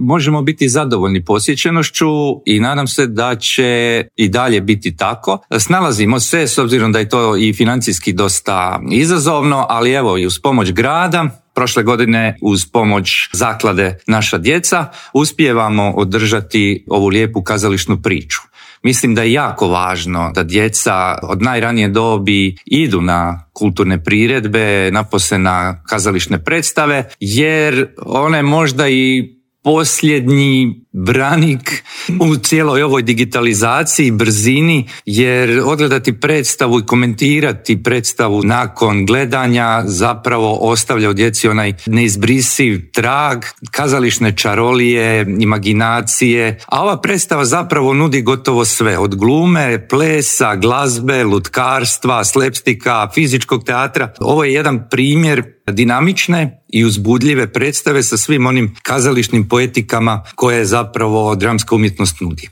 možemo biti zadovoljni posjećenošću i nadam se da će i dalje biti tako. Snalazimo se, s obzirom da je to i financijski dosta izazovno, ali evo i uz pomoć grada, prošle godine uz pomoć zaklade Naša djeca uspijevamo održati ovu lijepu kazališnu priču. Mislim da je jako važno da djeca od najranije dobi idu na kulturne priredbe, napose na kazališne predstave, jer one možda i posljednji branik u cijeloj ovoj digitalizaciji, brzini, jer odgledati predstavu i komentirati predstavu nakon gledanja zapravo ostavlja u djeci onaj neizbrisiv trag, kazališne čarolije, imaginacije, a ova predstava zapravo nudi gotovo sve, od glume, plesa, glazbe, lutkarstva, slepstika, fizičkog teatra. Ovo je jedan primjer dinamične i uzbudljive predstave sa svim onim kazališnim poetikama koje zapravo dramska umjetnost nudi.